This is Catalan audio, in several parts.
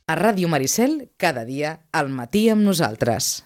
A Ràdio Maricel, cada dia, al matí amb nosaltres.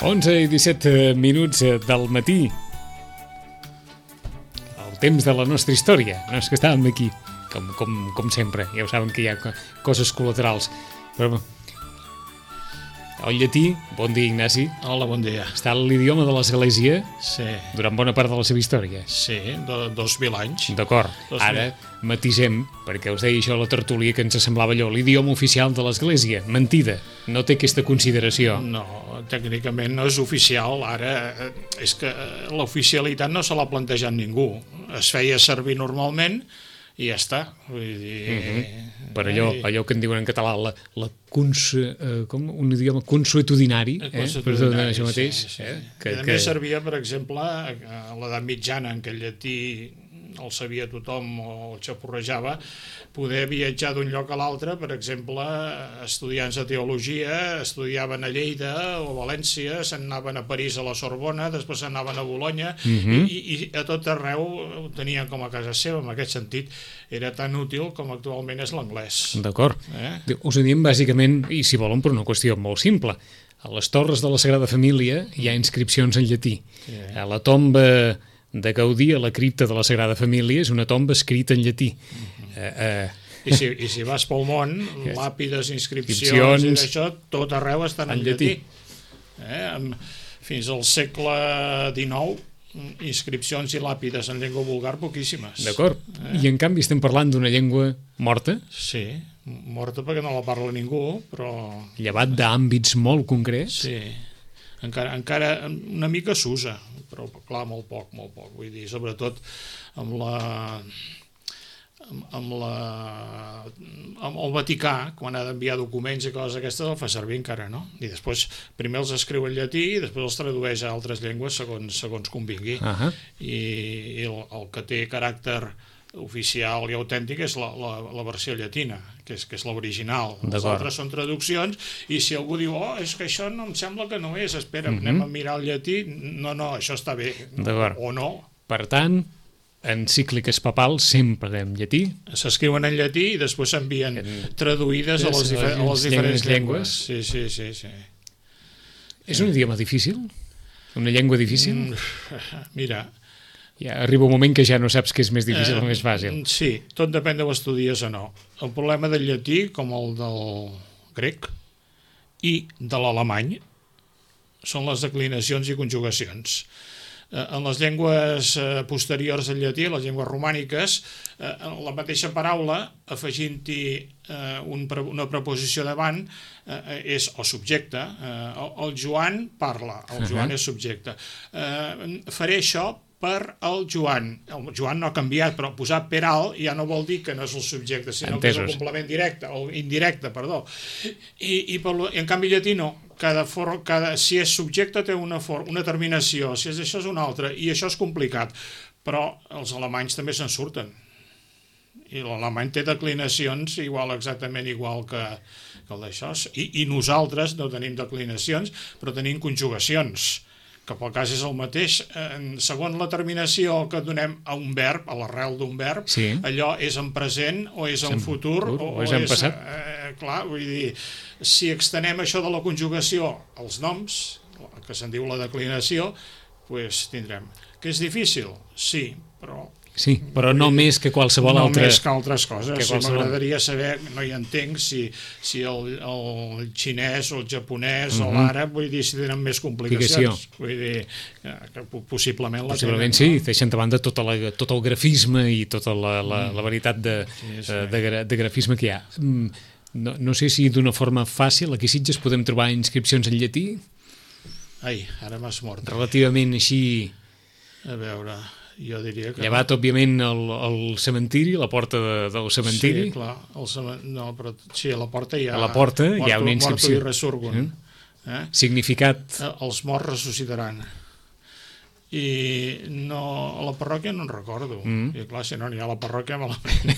Onze i 17 minuts del matí. El temps de la nostra història. No és que estàvem aquí, com sempre. Ja ho saben que hi ha coses col·laterals. Però el llatí, bon dia, Ignasi. Hola, bon dia. Està l'idioma de l'Església durant bona part de la seva història. Sí, 2.000 anys. D'acord. Ara matisem, perquè us deia això a la tertúlia que ens semblava allò, l'idioma oficial de l'Església. Mentida. No té aquesta consideració. No, tècnicament no és oficial. Ara és que l'oficialitat no se l'ha plantejat ningú. Es feia servir normalment i ja està. Vull dir... Per allò que en diuen en català, un idioma consuetudinari, per tot això mateix. Sí. A més servia, per exemple, a l'edat mitjana, en què el llatí el sabia tothom o el xaporrejava, poder viatjar d'un lloc a l'altre. Per exemple, estudiants de teologia estudiaven a Lleida o a València, se'n anaven a París a la Sorbona, després se'n anaven a Bolonya, i a tot arreu ho tenien com a casa seva. En aquest sentit era tan útil com actualment és l'anglès. D'acord. Us ho diem bàsicament, i si volen, per una qüestió molt simple. A les torres de la Sagrada Família hi ha inscripcions en llatí. A la tomba de Gaudí, a la cripta de la Sagrada Família, és una tomba escrita en llatí. I si vas pel món, làpides, inscripcions i d'això, tot arreu estan en llatí. Fins al segle XIX, inscripcions i làpides en llengua vulgar poquíssimes. D'acord. I en canvi estem parlant d'una llengua morta? Sí, morta perquè no la parla ningú, però... Llevat d'àmbits molt concrets? Sí. Encara una mica s'usa, però clar, molt poc. Vull dir, sobretot amb el Vaticà, quan ha d'enviar documents i coses aquestes, el fa servir encara, no? I després, primer els escriu en llatí i després els tradueix a altres llengües segons convingui. I el que té caràcter oficial i autèntic és la versió llatina, que és l'original. Els altres són traduccions, i si algú diu, és que això no em sembla que no és, espera, anem a mirar el llatí, no, això està bé, o no. Per tant, encícliques papals sempre en llatí. S'escriuen en llatí i després s'envien traduïdes a les diferents llengües. Sí. És un idioma difícil? Una llengua difícil? Mira... Ja arriba un moment que ja no saps què és més difícil o més fàcil. Sí, tot depèn de l'estudies o no. El problema del llatí, com el del grec i de l'alemany, són les declinacions i conjugacions. En les llengües posteriors al llatí, les llengües romàniques, la mateixa paraula, afegint-hi una preposició davant, és el subjecte. El Joan parla, el Joan és subjecte. Faré això per el Joan. El Joan no ha canviat, però posar per alt ja no vol dir que no és el subjecte, sinó que és el complement directe, o indirecte, perdó. I en canvi llatí no. Si és subjecte té una terminació, si és això és una altra, i això és complicat. Però els alemanys també se'n surten. I l'alemany té declinacions exactament igual que el d'això. I nosaltres no tenim declinacions, però tenim conjugacions. que pel cas és el mateix, segons la terminació que donem a un verb, a l'arrel d'un verb, allò és en present o és en futur o és en passat. Clar, vull dir, si extenem això de la conjugació als noms, que se'n diu la declinació, doncs tindrem. Que és difícil? Sí, però... Sí, però no més que qualsevol altra... No més que altres coses. M'agradaria saber, no hi entenc, si el xinès o el japonès o l'àrab, vull dir, si tenen més complicacions. Vull dir, que possiblement la tenen. Possiblement sí, deixen de banda tot el grafisme i tota la varietat de grafisme que hi ha. No sé si d'una forma fàcil, aquí a Sitges podem trobar inscripcions en llatí? Ai, ara m'has mort. Relativament així... A veure... Jo diria que... Llevat, òbviament, el cementiri, la porta del cementiri. Sí, clar. No, però sí, a la porta hi ha... A la porta hi ha una inscripció. Morto i resurgun. Significat... Els morts ressuscitaran. I no, a la parròquia no en recordo. I clar, si no n'hi ha a la parròquia, malament.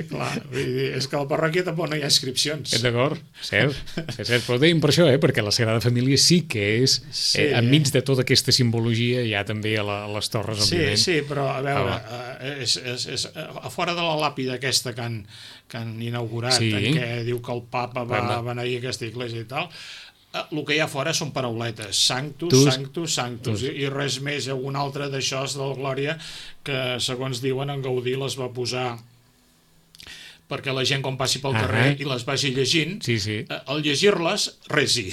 Clar, vull dir, és que a la parròquia tampoc no hi ha inscripcions. D'acord, cert. Però ho dèiem per això, perquè la Sagrada Família sí que és, enmig de tota aquesta simbologia, hi ha també a les torres, òbviament. Sí, però a veure, a fora de la làpida aquesta que han inaugurat, en què diu que el papa va beneir aquesta església i tal, el que hi ha fora són parauletes, sanctus, sanctus, sanctus, i res més. Hi ha un altre d'això de la Glòria que, segons diuen, en Gaudí les va posar perquè la gent quan passi pel carrer i les vagi llegint, al llegir-les, resi.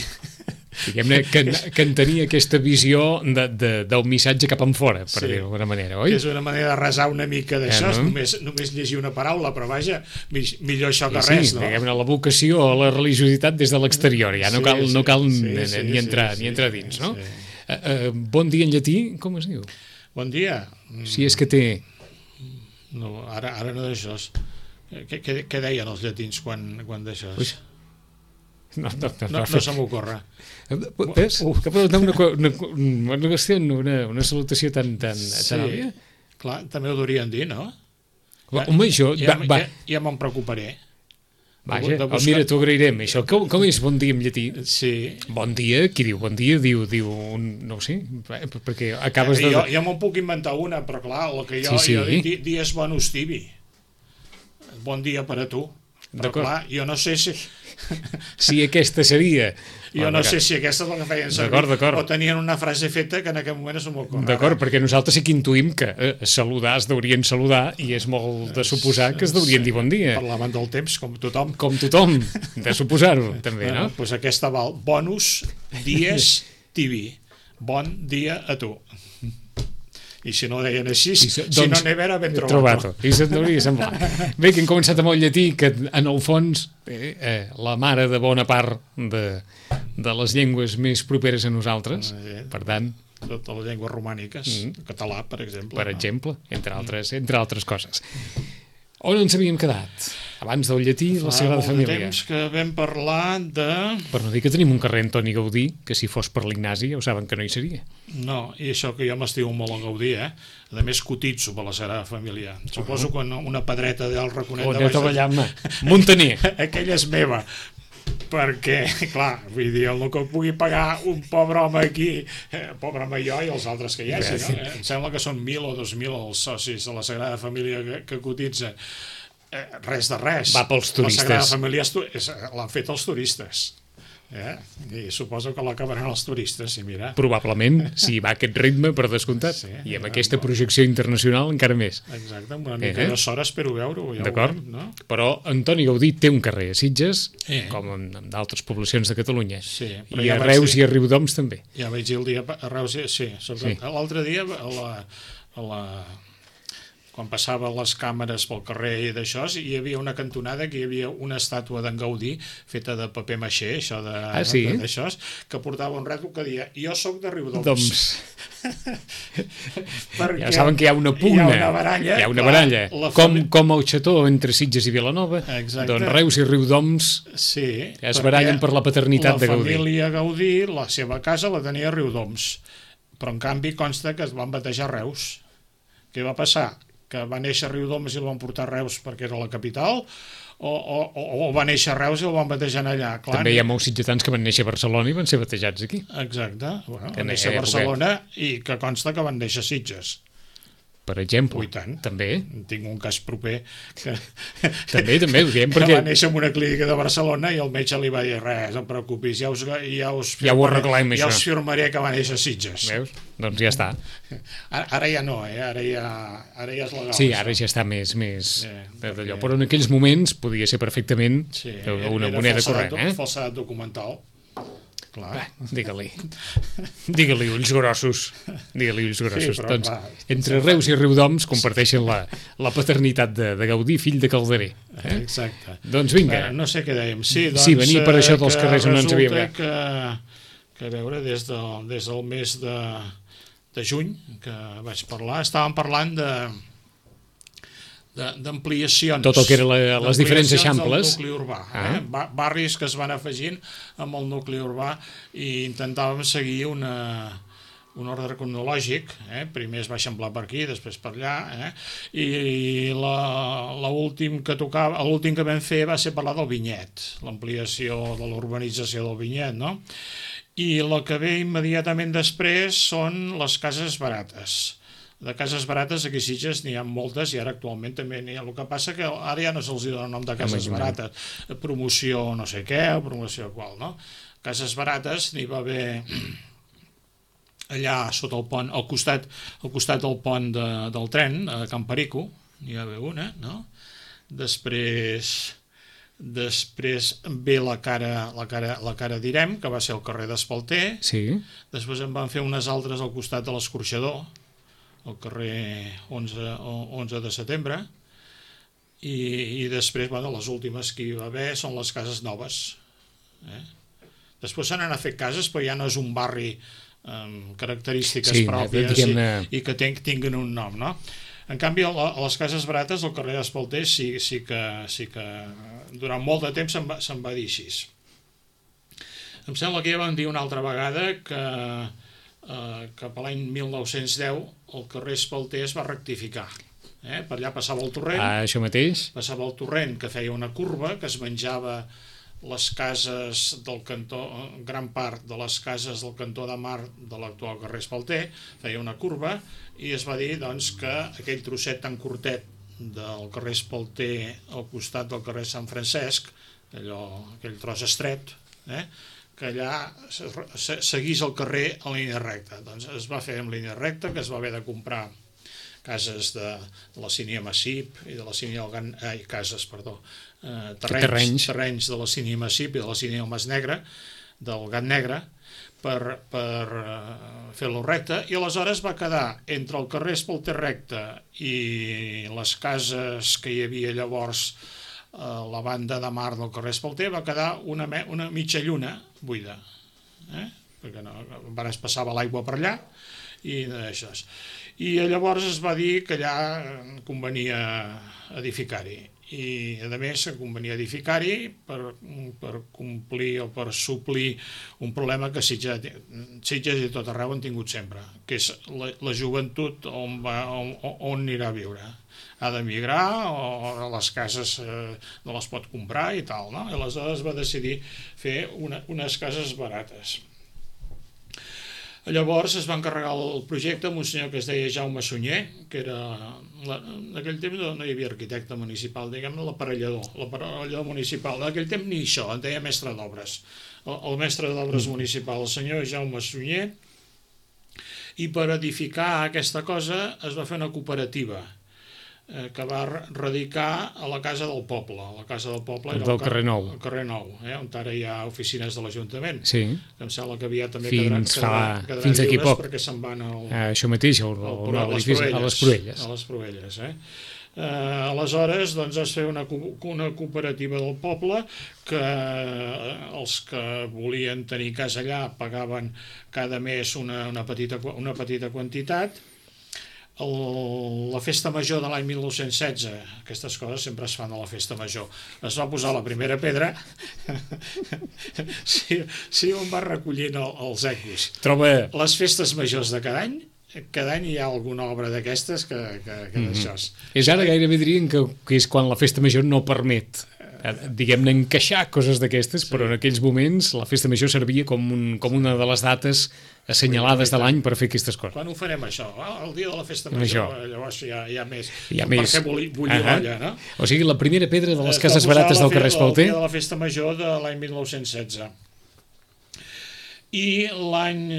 Diguem-ne que en tenia aquesta visió del missatge cap enfora, per dir-ho d'alguna manera, oi? És una manera de resar una mica d'això, només llegir una paraula, però vaja, millor això que res, no? Diguem-ne, la vocació o la religiositat des de l'exterior, ja no cal ni entrar dins, no? Bon dia en llatí, com es diu? Bon dia. Si és que té... No, ara no d'això. Què deien els llatins quan d'això? No se m'ocorre. Ves? Que pot donar una salutació tan òbvia? Clar, també ho durien dir, no? Home, això... Ja me'n preocuparé. Vaja, mira, t'ho agrairem. Això, com és bon dia en llatí? Sí. Bon dia, qui diu bon dia? Diu no ho sé, perquè acabes de... Jo me'n puc inventar una, però clar, el que jo dic, dies bonus tibi. Bon dia per a tu. Però clar, jo no sé si... Si aquesta seria... Jo no sé si aquesta és la que feien servir o tenien una frase feta que en aquest moment és molt correcta. D'acord, perquè nosaltres sí que intuïm que saludar es deurien saludar i és molt de suposar que es deurien dir bon dia. Parlaven del temps, com tothom. Com tothom, de suposar-ho, també, no? Doncs aquesta val. Bonus dies tibi. Bon dia a tu. I si no ho deien així, si no n'he vera ben trobat. I se'n hauria semblar. Bé, que hem començat amb el llatí, que en el fons la mare de bona part de les llengües més properes a nosaltres, per tant... Totes les llengües romàniques, català, per exemple. Per exemple, entre altres coses. On ens havíem quedat? Abans del llatí, la Sagrada Família. Fa molt temps que vam parlar de... Per no dir que tenim un carrer Antoni Gaudí, que si fos per l'Ignasi ja ho saben que no hi seria. No, i això que jo m'estimo molt en Gaudí, A més, cotitzo per la Sagrada Família. Suposo que una pedreta del Raconet de Baix... Montaner. Aquella és meva. Perquè, clar, vull dir, el que pugui pagar un pobre home aquí, pobre home jo i els altres que hi hagi, no? Em sembla que són 1.000 o 2.000 els socis de la Sagrada Família que cotitzen. Res de res. Va pels turistes. La Sagrada Família l'han fet els turistes. I suposo que l'acabaran els turistes, i mira. Probablement, si va a aquest ritme, per descomptat. I amb aquesta projecció internacional encara més. Exacte, amb una mica de sort espero veure-ho. D'acord, no? Però Antoni Gaudí té un carrer a Sitges, com en d'altres poblacions de Catalunya. I a Reus i a Riudoms també. Ja vaig dir el dia a Reus, sí. L'altre dia quan passaven les càmeres pel carrer i d'això, hi havia una cantonada que hi havia una estàtua d'en Gaudí feta de paper maixé, això d'això, que portava un rètol que deia jo sóc de Riudoms. Ja saben que hi ha una pugna, hi ha una baralla. Com el xató entre Sitges i Vilanova, doncs Reus i Riudoms es barallen per la paternitat de Gaudí. La família Gaudí, la seva casa la tenia a Riudoms, però en canvi consta que es van batejar a Reus. Què va passar? que va néixer a Riudoms i el van portar a Reus perquè era la capital, o va néixer a Reus i el van batejar allà. Clar, també hi ha molts sitgetans que van néixer a Barcelona i van ser batejats aquí. Exacte, bueno, van néixer a Barcelona i que consta que van néixer a Sitges. Per exemple, també. Tinc un cas proper que, també ho diem perquè... va néixer en una clínica de Barcelona i el metge li va dir res, no et preocupis, ja ho arreglem, ja us firmaré que va néixer a Sitges. Veus? Doncs ja està. Ara ja no, ara ja és legal. Sí, ara ja està més d'allò, però en aquells moments podia ser perfectament una moneda corrent. Falsedat documental. Clar. Digue-li ulls grossos. Digue-li ulls grossos. Sí, doncs, entre Reus i Riudoms comparteixen la paternitat de Gaudí, fill de Calderer. Exacte. Doncs vinga. No sé què dèiem. Sí, venia per això dels carrers on ens havíem anat. Que a veure, des del mes de juny que vaig parlar, estàvem parlant d'ampliacions. Tot el que eren les diferents eixamples. Del nucli urbà. Barris que es van afegint amb el nucli urbà i intentàvem seguir un ordre cronològic. Primer es va eixamplar per aquí, després per allà. I l'últim que vam fer va ser parlar del Vinyet, l'ampliació de l'urbanització del Vinyet, no? I el que ve immediatament després són les cases barates. De cases barates aquí a Sitges n'hi ha moltes i ara actualment també n'hi ha. El que passa que ara ja no se'ls dona el nom de cases barates, promoció no sé què o promoció qual, no? Cases barates n'hi va haver allà sota el pont, al costat del pont del tren, a Can Perico, n'hi va haver una, no? Després ve la cara d'Irem, que va ser el carrer d'Espalter. Sí. Després en van fer unes altres al costat de l'Escorxador, al carrer 11 de setembre, i després, les últimes que hi va haver són les cases noves. Després se n'han fet cases, però ja no és un barri amb característiques pròpies i que tinguin un nom, no? En canvi, a les cases barates, al carrer d'Espalter, sí que durant molt de temps se'n va dir així. Em sembla que ja vam dir una altra vegada que cap a l'any 1910 el carrer Espalter es va rectificar. Per allà passava el torrent. Això mateix. Passava el torrent que feia una curva, que es menjava les cases del cantó, gran part de les cases del cantó de Mar de l'actual carrer Espalter, feia una curva i es va dir doncs, que aquell trosset tan curtet del carrer Espalter al costat del carrer Sant Francesc, aquell tros estret, que allà seguís el carrer en línia recta. Doncs es va fer en línia recta, que es va haver de comprar cases de la Sínia Massip i de la Sínia terrenys de la Sínia Massip i de la Sínia Mas Negre, del Gat Negre, per fer-lo recte, i aleshores va quedar entre el carrer Espalter recte i les cases que hi havia llavors a la banda de mar del carrer Espalter, va quedar una mitja lluna buida, perquè es passava l'aigua per allà i d'això. I llavors es va dir que allà convenia edificar-hi, i a més convenia edificar-hi per complir o per suplir un problema que Sitges i tot arreu han tingut sempre, que és la joventut on anirà a viure. Ha d'emigrar o les cases no les pot comprar i tal, no? I aleshores va decidir fer unes cases barates. Llavors es va encarregar el projecte amb un senyor que es deia Jaume Sunyer, que era... En aquell temps no hi havia arquitecte municipal, diguem-ne l'aparellador municipal. En aquell temps ni això, en deia mestre d'obres. El mestre d'obres municipal, el senyor Jaume Sunyer, i per edificar aquesta cosa es va fer una cooperativa que va radicar a la Casa del Poble. La Casa del Poble era del carrer Nou. El carrer Nou, on ara hi ha oficines de l'Ajuntament. Sí. Em sembla que aviat també fins d'aquí poc. Perquè se'n van això mateix, a les Proelles. A les Proelles, aleshores doncs es feia una cooperativa del poble que els que volien tenir casa allà pagaven cada mes una petita quantitat. La festa major de l'any 1916, aquestes coses sempre es fan a la festa major, es va posar la primera pedra. Sí, on va recollint els ecos. Troba... Les festes majors de cada any cada any hi ha alguna obra d'aquestes que d'això. És ara gairebé dirien que és quan la festa major no permet, diguem-ne, encaixar coses d'aquestes, però en aquells moments la festa major servia com una de les dates assenyalades de l'any per fer aquestes coses. Quan ho farem això? El dia de la festa major, llavors hi ha més. Per fer bullir l'olla, no? O sigui, la primera pedra de les cases barates del carrer Espalter? El dia de la festa major de l'any 1916. I l'any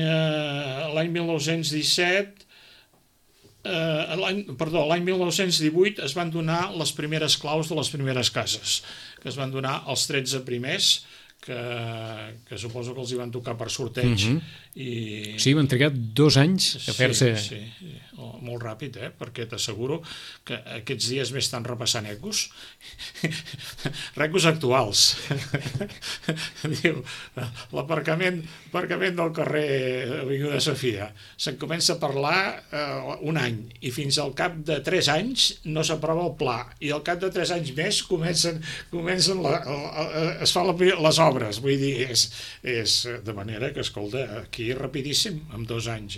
1917, l'any 1918 es van donar les primeres claus de les primeres cases, que es van donar els 13 primers, que suposo que els hi van tocar per sorteig. Sí, van trigar 2 anys a fer-se... Sí, molt ràpid, perquè t'asseguro que aquests dies m'he estat repassant ecos actuals. Diu, l'aparcament del carrer Avinguda Sofia se'n comença a parlar un any i fins al cap de 3 anys no s'aprova el pla i al cap de 3 anys més es fan les obres, vull dir, és de manera que, escolta, aquí rapidíssim, en 2 anys,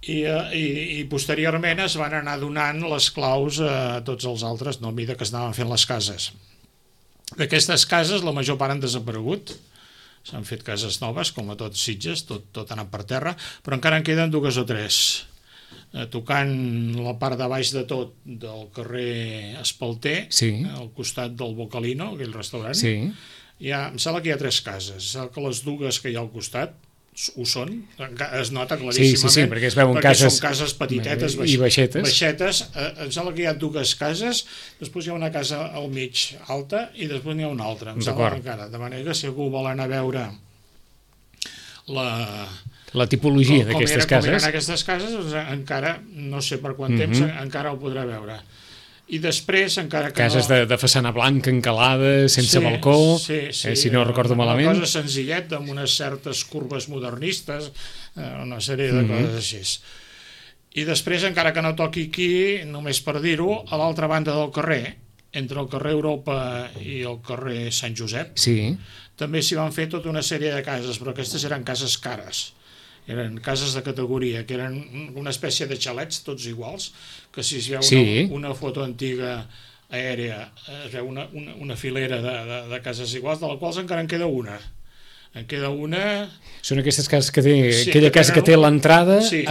I posteriorment es van anar donant les claus a tots els altres, no a mesura que es anaven fent les cases. D'aquestes cases, la major part han desaparegut, s'han fet cases noves, com a tots Sitges, tot ha anat per terra, però encara en queden 2 o 3. Tocant la part de baix de tot del carrer Espalter, al costat del Bocalino, aquell restaurant, em sembla que hi ha 3 cases. Em sembla que les 2 que hi ha al costat ho són, es nota claríssimament, perquè es veuen cases, són cases petitetes i baixetes. Em sembla que hi ha 2 cases, després hi ha una casa al mig alta i després n'hi ha una altra, de manera que si algú vol anar a veure la tipologia d'aquestes cases, com eren aquestes cases, doncs encara no sé per quant temps encara ho podrà veure. I després, encara que cases de façana blanca, encalada, sense balcó, si no recordo malament. Una cosa senzilleta, amb unes certes curves modernistes, una sèrie de coses així. I després, encara que no toqui aquí, només per dir-ho, a l'altra banda del carrer, entre el carrer Europa i el carrer Sant Josep, també s'hi van fer tota una sèrie de cases, però aquestes eren cases cares. Eren cases de categoria, que eren una espècie de xalets, tots iguals, que si es veu una foto antiga aèria, es veu una filera de cases iguals, de les quals encara en queda una. En queda una... Són aquestes cases que té, aquella casa que té l'entrada... Sí,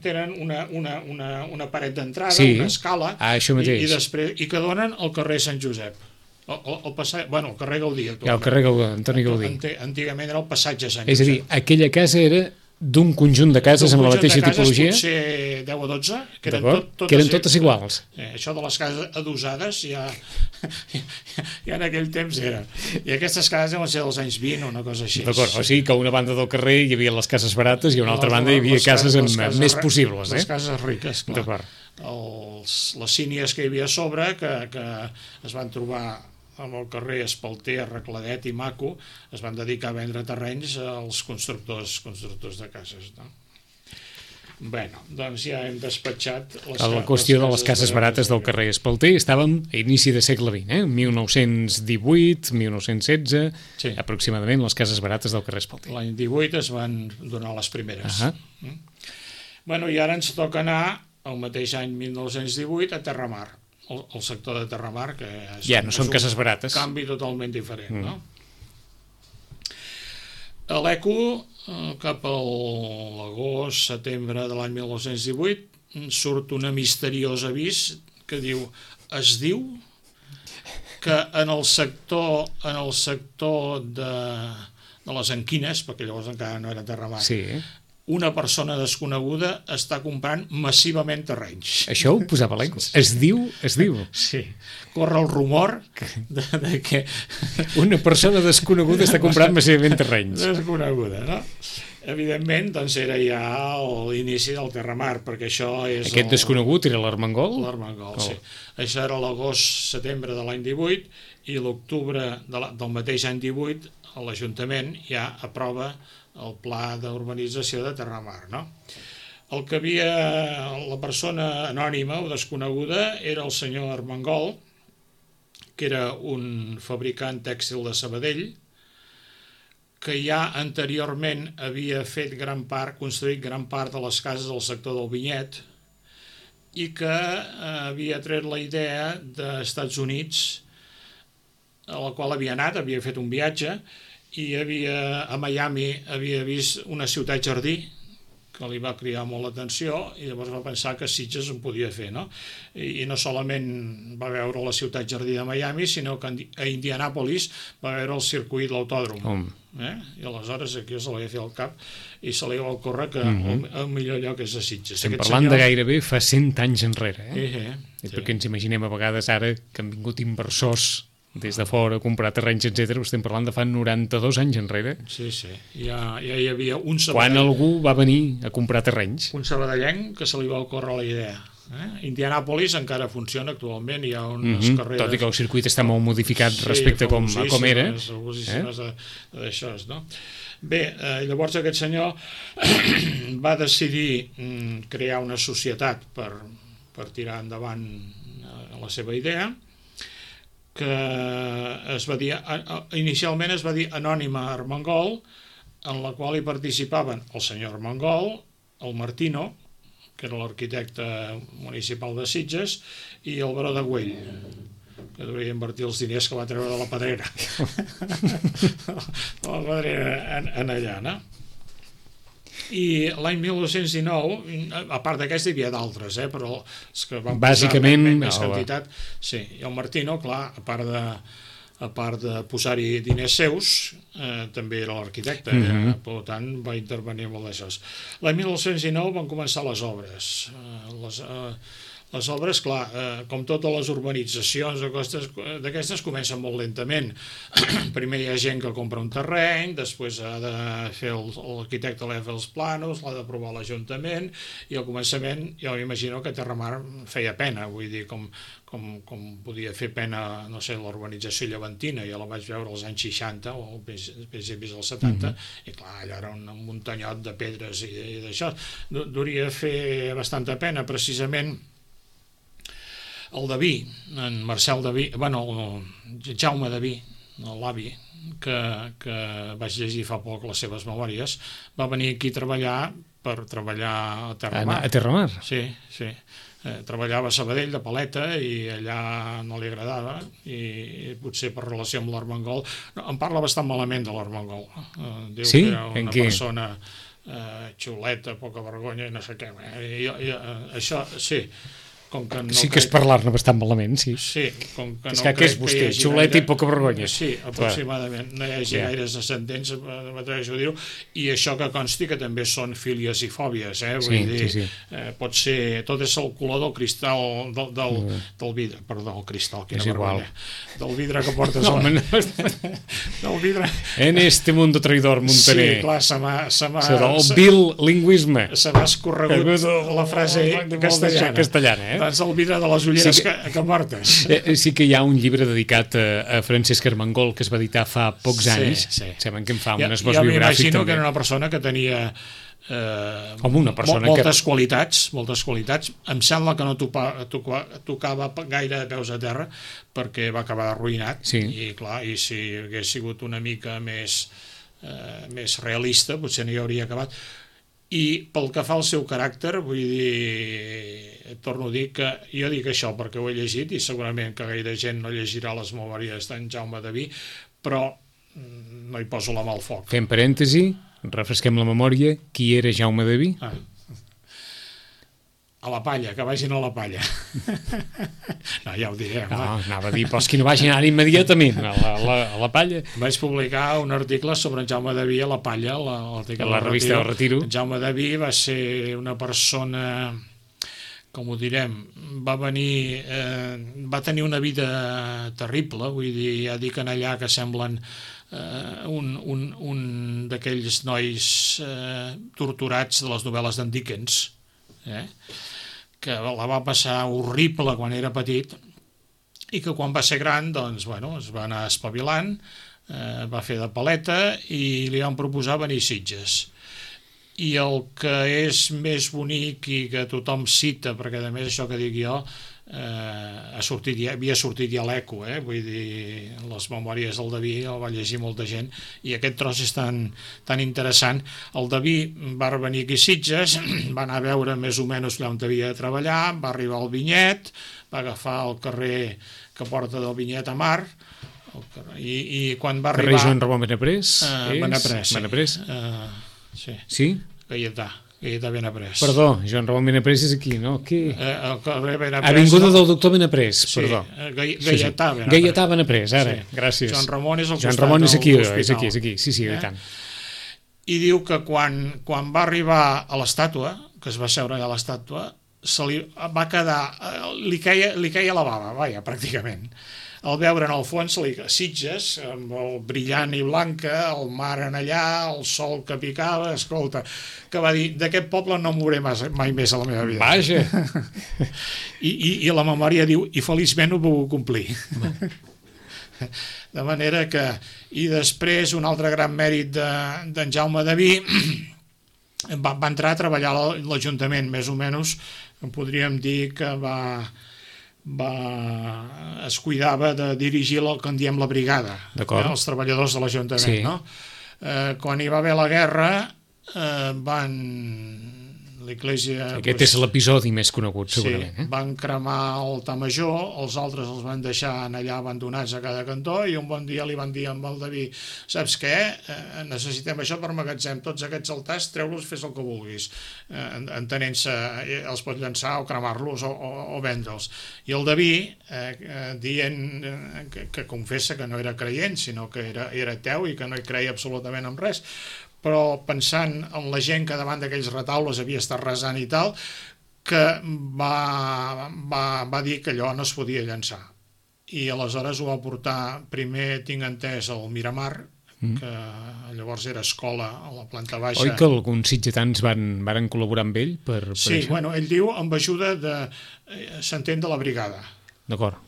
tenen una paret d'entrada, una escala, i que donen al carrer Sant Josep. El carrer Gaudí, actualment. El carrer Antoni Gaudí. Antigament era el passatge Sant Josep. És a dir, aquella casa era d'un conjunt de cases amb la mateixa tipologia? Potser 10 o 12, que eren totes iguals. Això de les cases adosades ja en aquell temps era. I aquestes cases deuen ser dels anys 20 o una cosa així. D'acord, o sigui que a una banda del carrer hi havia les cases barates i a una altra banda hi havia cases més possibles. Les cases riques, clar. Les sínies que hi havia a sobre, que es van trobar amb el carrer Espalter, arregladet i maco, es van dedicar a vendre terrenys als constructors de cases. Bé, doncs ja hem despatxat la qüestió de les cases barates del carrer Espalter. Estàvem a inici de segle XX, 1918, 1916, aproximadament, les cases barates del carrer Espalter. L'any 18 es van donar les primeres. Bueno, i ara ens toca anar, el mateix any 1918, a Terramar. El sector de Terramar, que no són cases barates. Un canvi totalment diferent, no? A l'ECO, cap a l'agost, setembre de l'any 1918, surt una misteriosa avís que es diu que en el sector de les Enquines, perquè llavors encara no era Terramar, una persona desconeguda està comprant massivament terrenys. Això ho posava l'ECO. Es diu? Sí. Corre el rumor de que... Una persona desconeguda està comprant massivament terrenys. Desconeguda, no? Evidentment, doncs era ja l'inici del Terramar, perquè això és... Aquest desconegut era l'Armengol? L'Armengol, sí. Això era l'agost-setembre de l'any 18 i l'octubre del mateix any 18 l'Ajuntament ja aprova el pla d'urbanització de Terramar, no? El que havia, la persona anònima o desconeguda era el senyor Armengol, que era un fabricant tèxtil de Sabadell, que ja anteriorment havia fet construït gran part de les cases del sector del Vinyet i que havia tret la idea d'Estats Units, a la qual havia anat, havia fet un viatge i a Miami havia vist una ciutat jardí que li va cridar molt l'atenció i llavors va pensar que Sitges en podia fer, no? I no solament va veure la ciutat jardí de Miami, sinó que a Indianàpolis va veure el circuit, l'autòdrom. I aleshores aquí se li va fer el cap i se li va ocórrer que el millor lloc és a Sitges. Estem parlant de gairebé fa 100 anys enrere, perquè ens imaginem a vegades ara que han vingut inversors des de fora, comprar terrenys, etc. Estem parlant de fa 92 anys enrere. Sí. Ja hi havia un quan algú va venir a comprar terrenys. Un sabadellenc que se li va ocórrer la idea. Indianàpolis encara funciona actualment, hi ha unes carreres... Tot i que el circuit està molt modificat respecte a com era. D'això, no? Bé, llavors aquest senyor va decidir crear una societat per tirar endavant la seva idea, que inicialment es va dir Anònima Armengol, en la qual hi participaven el senyor Armengol, el Martino, que era l'arquitecte municipal de Sitges, i el baró de Güell, que hauria invertir els diners que va treure de la pedrera. De la pedrera en allà, no? I l'any 1919, a part d'aquesta hi havia d'altres, però els que van bàsicament més quantitat, sí, i el Martino, clar, a part de posar-hi diners seus, també era l'arquitecte, per tant va intervenir molt d'això. L'any 1919 van començar les obres. Les obres, clar, com totes les urbanitzacions d'aquestes, comencen molt lentament. Primer hi ha gent que compra un terreny, després ha de fer l'arquitecte l'ha de fer els planos, l'ha d'aprovar l'Ajuntament, i al començament jo m'imagino que Terramar feia pena, vull dir, com podia fer pena, no sé, l'urbanització llevantina, jo la vaig veure als anys 60 o principis dels 70, i clar, allà era un muntanyot de pedres i d'això. Duria fer bastanta pena, precisament. El Daví, en Marcel Daví, Jaume Daví, l'avi, que vaig llegir fa poc les seves memòries, va venir aquí per treballar a Terramar. A Terramar? Sí. Treballava a Sabadell de paleta i allà no li agradava i potser per relació amb l'Armengol em parla bastant malament de l'Armengol. Diu que era una persona xuleta, poca vergonya i no sé què. Això, sí. Sí que és parlar-ne bastant malament, sí. Sí, com que no crec que és vostè, xulet i poca vergonya. Sí, aproximadament. No hi hagi gaires ascendents, m'atreveixo a dir-ho, i això que consti que també són fílies i fòbies, vull dir, pot ser, tot és el color del cristal, del vidre, perdó, el cristal, quina vergonya, del vidre que portes del vidre. En este mundo traidor, Montaner. Sí, clar, se m'ha... El bilingüisme. Se m'ha escorregut la frase castellana, doncs el vidre de les ulleres que portes. Sí que hi ha un llibre dedicat a Francesc Armengol que es va editar fa pocs anys. Saben que em fa un esbós biogràfic. Jo m'imagino que era una persona que tenia moltes qualitats. Em sembla que no tocava gaire peus a terra perquè va acabar arruïnat. I clar, i si hagués sigut una mica més realista potser no hi hauria acabat. I pel que fa al seu caràcter, vull dir, torno a dir que jo dic això perquè ho he llegit i segurament que gaire gent no llegirà les memòries d'en Jaume Daví, però no hi poso la mà al foc. Fem parèntesi, refresquem la memòria. Qui era Jaume Daví? A la palla, que vagin a la palla. No, ja ho diré. No, anava a dir, però els que no vagin ara immediatament a la palla. Vaig publicar un article sobre en Jaume Daví a la palla, la revista del Retiro. Jaume Daví va ser una persona, com ho direm, va tenir una vida terrible, vull dir, ja dic en allà que semblen un d'aquells nois torturats de les novel·les d'en Dickens, que la va passar horrible quan era petit i que quan va ser gran doncs, es va anar espavilant, va fer de paleta i li van proposar venir a Sitges. I el que és més bonic i que tothom cita, perquè a més això que dic jo havia sortit ja l'Eco, vull dir, les memòries del Daví el va llegir molta gent, i aquest tros és tan interessant. El Daví va venir aquí a Sitges, va anar a veure més o menys allà on havia de treballar, va arribar al Vinyet, va agafar el carrer que porta del Vinyet a Mar, i quan va arribar... Carrer Joan Ramon Benaprés? Benaprés. Sí? Gaietà Benaprés. Perdó, Joan Ramon Benaprés és aquí, no? Avinguda del doctor Benaprés, perdó. Gaietà Benaprés. Gaietà Benaprés, ara, gràcies. Joan Ramon és al costat de l'hospital. És aquí, sí, i tant. I diu que quan va arribar a l'estàtua, que es va seure allà a l'estàtua, se li va quedar... li queia la bava, pràcticament. Al veure en el fons Sitges, amb el brillant i blanca, el mar en allà, el sol que picava, escolta, que va dir, d'aquest poble no m'ho veuré mai més a la meva vida. Vaja! I la memòria diu, i feliçment ho puc complir. De manera que... I després, un altre gran mèrit d'en Jaume Daví, va entrar a treballar a l'Ajuntament, més o menys, podríem dir que es cuidava de dirigir el que en diem la brigada, els treballadors de l'Ajuntament, no? Quan hi va haver la guerra, l'Església... Aquest és l'episodi més conegut, segurament. Sí, van cremar el altar major, els altres els van deixar allà abandonats a cada cantó, i un bon dia li van dir amb el Daví, saps què? Necessitem això per magatzem, tots aquests altars, treu-los, fes el que vulguis, entenent-se, els pot llançar o cremar-los o vendre'ls. I el Daví, dient que confessa que no era creient, sinó que era ateu i que no hi creia absolutament en res, però pensant en la gent que davant d'aquells retaules havia estat resant i tal, que va dir que allò no es podia llançar. I aleshores ho va portar, primer tinc entès, al Miramar, que llavors era escola a la planta baixa. Oi que alguns sitgetans van col·laborar amb ell per sí, això? Bueno, ell diu amb ajuda s'entén de la brigada. D'acord.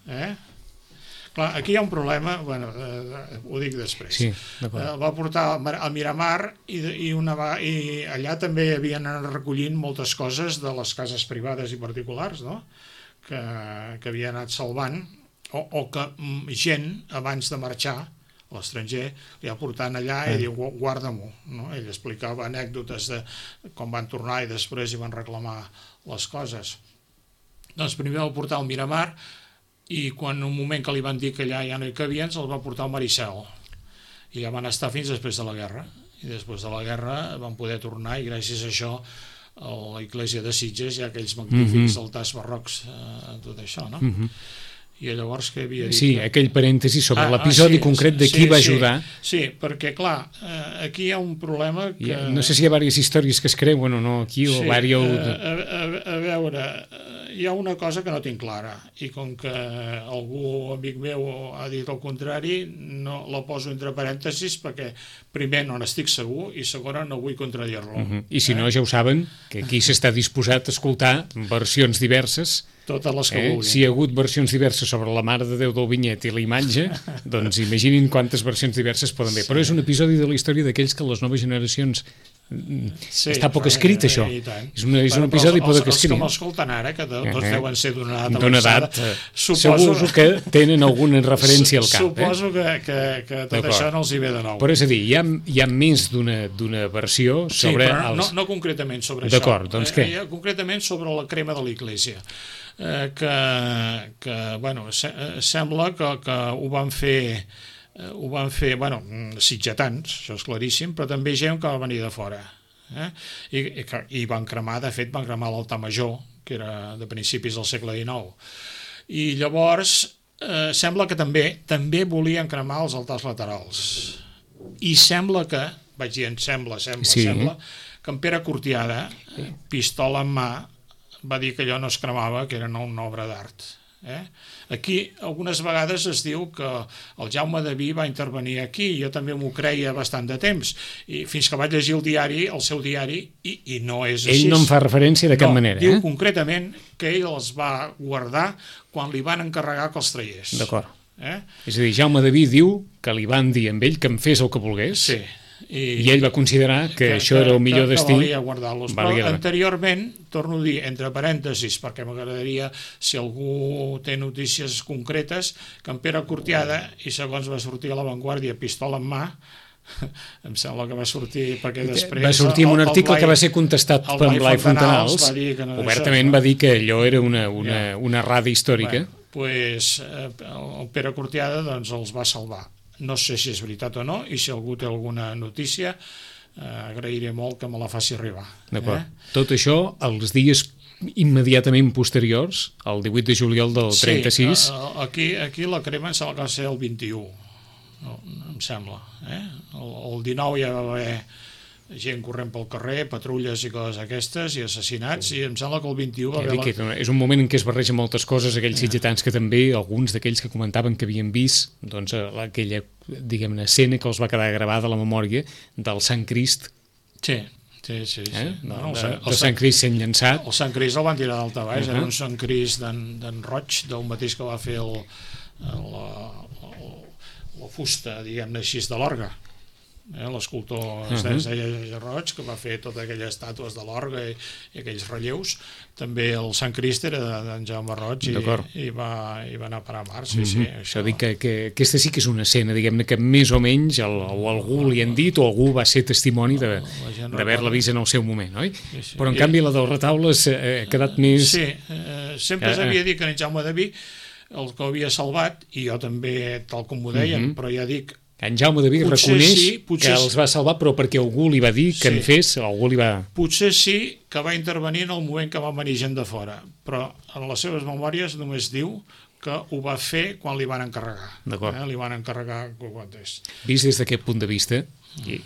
Clar, aquí hi ha un problema, ho dic després. Sí, va portar al Miramar i allà també havien anat recollint moltes coses de les cases privades i particulars, no? que havien anat salvant, o que gent, abans de marxar a l'estranger, li va portant allà i diu, guarda-m'ho. No? Ell explicava anècdotes de com van tornar i després hi van reclamar les coses. Doncs primer va portar al Miramar, i quan un moment que li van dir que allà ja no hi cabien, se'l va portar al Maricel. I allà van estar fins després de la guerra. I després de la guerra van poder tornar, i gràcies a això a l'església de Sitges hi ha aquells magnífics altars barrocs, tot això, no? I llavors què havia dit? Sí, aquell parèntesi sobre l'episodi concret de qui va ajudar. Sí, perquè clar, aquí hi ha un problema que... No sé si hi ha diverses històries que es creuen o no aquí, o diverses... A veure, hi ha una cosa que no tinc clara, i com que algú amic meu ha dit el contrari, no la poso entre parèntesis perquè primer no n'estic segur i segona no vull contradir-lo. I si no, ja ho saben, que aquí s'està disposat a escoltar versions diverses. Totes les que vulguin. Si hi ha hagut versions diverses sobre la Mare de Déu del Vinyet i la imatge, doncs imaginin quantes versions diverses poden haver. Però és un episodi de la història d'aquells que les noves generacions està poc escrit, això. És un episodi poc escrit. Els que m'escolten ara, que tots deuen ser d'una edat avançada, suposo que tenen alguna referència al cap. Suposo que tot això no els hi ve de nou. Però és a dir, hi ha més d'una versió sobre... Sí, però no concretament sobre això. D'acord, doncs què? Concretament sobre la crema de l'Església. Que bueno, sembla que ho van fer, sitgetans, això és claríssim, però també gent que va venir de fora. I van cremar, de fet, l'altar major, que era de principis del segle XIX. I llavors sembla que també volien cremar els altars laterals. I sembla que, vaig dir, sembla, que en Pere Cortiada, pistola en mà, va dir que allò no es cremava, que era una obra d'art. Aquí algunes vegades es diu que el Jaume Daví va intervenir aquí, jo també m'ho creia bastant de temps, i fins que vaig llegir el seu diari, i no és així. Ell no en fa referència de cap manera. Diu concretament que ell els va guardar quan li van encarregar que els traiés. D'acord. És a dir, Jaume Daví diu que li van dir amb ell que en fes el que volgués, I ell va considerar que això era el millor destí. Que valia guardar-los. Però anteriorment, torno a dir, entre parèntesis, perquè m'agradaria, si algú té notícies concretes, que en Pere Cortiada, i segons va sortir a l'Avantguàrdia, pistola en mà, em sembla que va sortir perquè després... Va sortir en un article que va ser contestat per Blai Fontanals, obertament va dir que allò era una errada històrica. Doncs el Pere Cortiada els va salvar. No sé si és veritat o no, i si algú té alguna notícia, agrairé molt que me la faci arribar. D'acord. Tot això, els dies immediatament posteriors, el 18 de juliol del 36... Sí, aquí la crema em sembla que va ser el 21, em sembla. El 19 ja va haver gent corrent pel carrer, patrulles i coses aquestes, i assassinats, i em sembla que el 21 va haver... És un moment en què es barregen moltes coses, aquells sitgetans que també, alguns d'aquells que comentaven que havien vist aquella, diguem-ne, escena que els va quedar gravada a la memòria del Sant Crist. Sí. De Sant Crist sent llançat. El Sant Crist el van tirar d'alta baix, era un Sant Crist d'en Roig, del mateix que va fer la fusta, diguem-ne així, de l'orgue. L'escultor es deia Roig, que va fer totes aquelles estàtues de l'orgue i aquells relleus. També el Sant Crist era d'en Jaume Roig i va anar a parar a mar. Això dic que aquesta sí que és una escena, diguem-ne, que més o menys o algú li han dit o algú va ser testimoni d'haver-la vist en el seu moment, oi? Però en canvi la del retaule ha quedat més... Sí, sempre s'havia dit que en Jaume de Vi el que havia salvat, i jo també, tal com ho deien, però ja dic... En Jaume de Vi reconeix que els va salvar, però perquè algú li va dir que en fes, algú li va... Potser sí que va intervenir en el moment que va venir gent de fora, però en les seves memòries només diu que ho va fer quan li van encarregar. D'acord. Li van encarregar quan és. Vist des d'aquest punt de vista,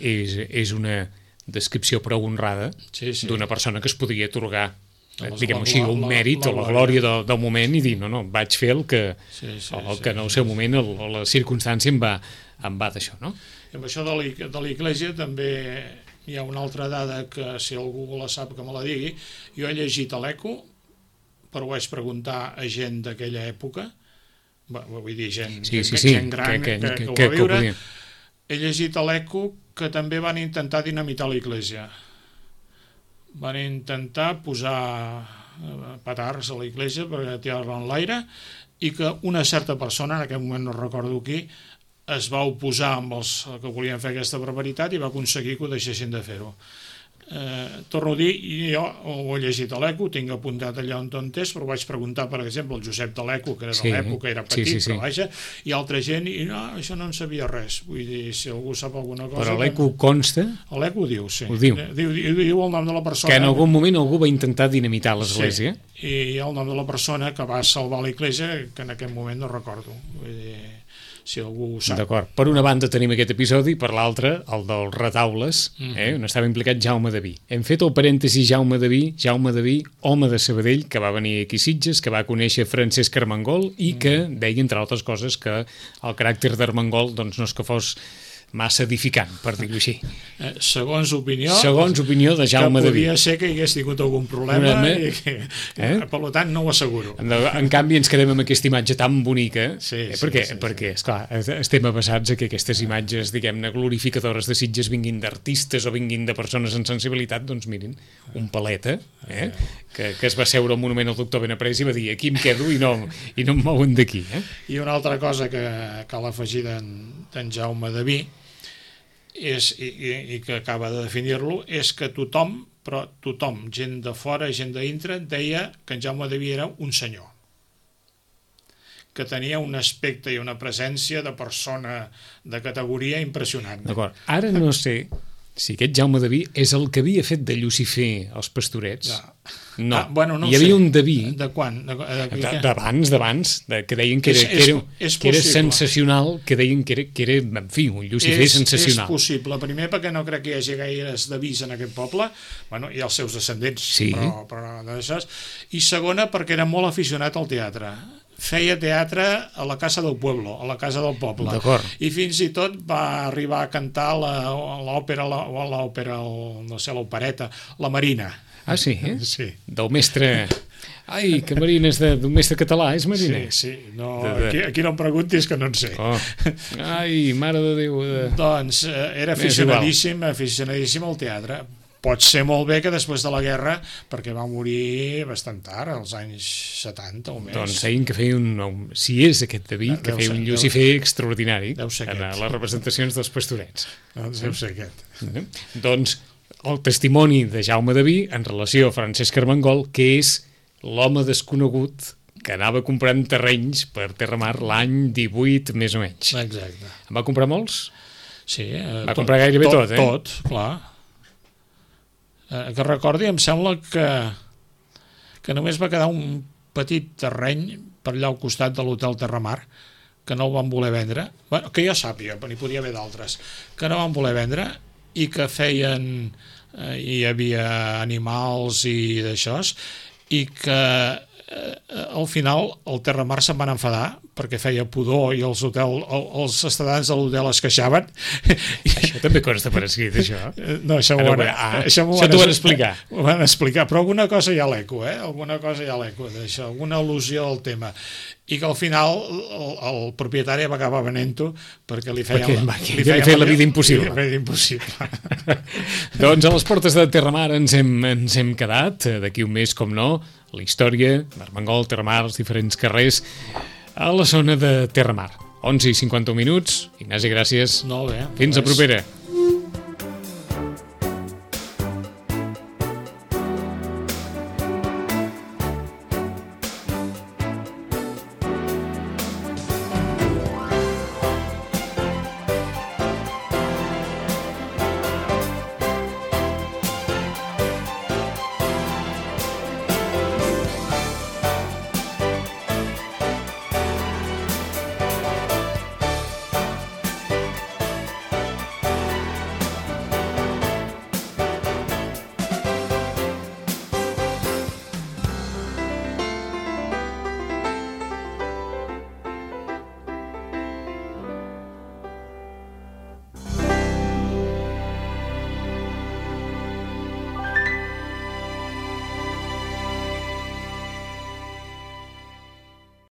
és una descripció prou honrada d'una persona que es podria atorgar, diguem-ho així, un mèrit o la glòria del moment i dir, no, vaig fer el que en el seu moment o la circumstància em va d'això, no? I amb això de l'Església també hi ha una altra dada que, si algú la sap, que me la digui. Jo he llegit a l'Eco, però ho vaig preguntar a gent d'aquella època, vull dir, gent gran que ho va viure. He llegit a l'Eco que també van intentar dinamitar l'Església. Van intentar posar petards a l'Església per tirar-la en l'aire, i que una certa persona, en aquest moment no recordo qui, es va oposar amb els que volien fer aquesta barbaritat i va aconseguir que ho deixessin de fer-ho. Torno a dir, jo ho he llegit a l'Eco, tinc apuntat allà on és, però vaig preguntar, per exemple, el Josep de l'Eco, que era de l'època, era petit, però vaja, i altra gent, i no, això no en sabia res. Vull dir, si algú sap alguna cosa... Però l'Eco consta? L'Eco ho diu, sí. Ho diu. Diu el nom de la persona. Que en algun moment algú va intentar dinamitar l'Església. Sí, i el nom de la persona que va salvar l'Església, que en aquest moment no recordo. Vull dir... si algú ho sap. D'acord. Per una banda tenim aquest episodi, per l'altra, el dels retaules, on estava implicat Jaume de Vi. Hem fet el parèntesi Jaume de Vi, home de Sabadell, que va venir aquí a Sitges, que va conèixer Francesc Armengol i que deia, entre altres coses, que el caràcter d'Armengol no és que fos massa edificant, per dir-ho així. Segons opinió de Jaume de Vi. Que podria ser que hi hagués tingut algun problema i que, per tant, no ho asseguro. En canvi, ens quedem amb aquesta imatge tan bonica, perquè, esclar, estem avasats a que aquestes imatges, diguem-ne, glorificadores de Sitges vinguin d'artistes o vinguin de persones amb sensibilitat, doncs mirin, un paleta, que es va seure al monument al doctor Benaprés i va dir, aquí em quedo i no em mouen d'aquí. I una altra cosa que cal afegir d'en Jaume de Vi, i que acaba de definir-lo, és que tothom, gent de fora, gent de dintre, deia que en Jaume de Vi era un senyor, que tenia un aspecte i una presència de persona de categoria impressionant. D'acord. Ara no sé si aquest Jaume de Vi és el que havia fet de Llucifer als Pastorets. No, hi havia un de Vi. De quan? D'abans, que deien que era sensacional, que deien que era, en fi, un Llucifer sensacional. És possible, primer perquè no crec que hi hagi gaires de Vis en aquest poble, hi ha els seus descendents, però i segona perquè era molt aficionat al teatre. Feia teatre a la Casa del Pueblo, a la Casa del Poble. I fins i tot va arribar a cantar l'òpereta, La Marina. Ah, sí? Sí. Del mestre Ai, que marines d'un mestre català, és mariner? Sí. No, aquí no em preguntis, que no en sé. Oh. Ai, mare de Déu. Doncs era aficionadíssim al teatre. Pot ser molt bé que després de la guerra, perquè va morir bastant tard, als anys 70 o més. Doncs deien que feia si és aquest David, que feia un Llucifer extraordinari en les representacions dels Pastorets. Deu ser aquest. Doncs el testimoni de Jaume Daví en relació a Francesc Armengol, que és l'home desconegut que anava comprant terrenys per Terramar l'any 18, més o menys. Exacte. En va comprar molts? Sí. Va comprar gairebé tot, eh? Tot, clar. Que recordi, em sembla que només va quedar un petit terreny per allà al costat de l'hotel Terramar, que no el van voler vendre, bueno, que jo sàpiga, n'hi podia haver d'altres, que no van voler vendre i que feien, hi havia animals i d'això, i que al final el Terramar se'n van enfadar perquè feia pudor i els estadants de l'hotel es queixaven. Això també consta per escrit, això? No, això t'ho van explicar. Ho van explicar, però alguna cosa hi ha l'eco, alguna cosa hi ha l'eco d'això, alguna al·lusió al tema. I que al final el propietari va acabar venent-ho perquè li feia la vida impossible. Doncs a les portes de Terramar ens hem quedat, d'aquí un mes, com no, la història d'Armengol, Terramar, els diferents carrers a la zona de Terramar. 11:51. Ignasi, gràcies. Molt bé. Fins a propera.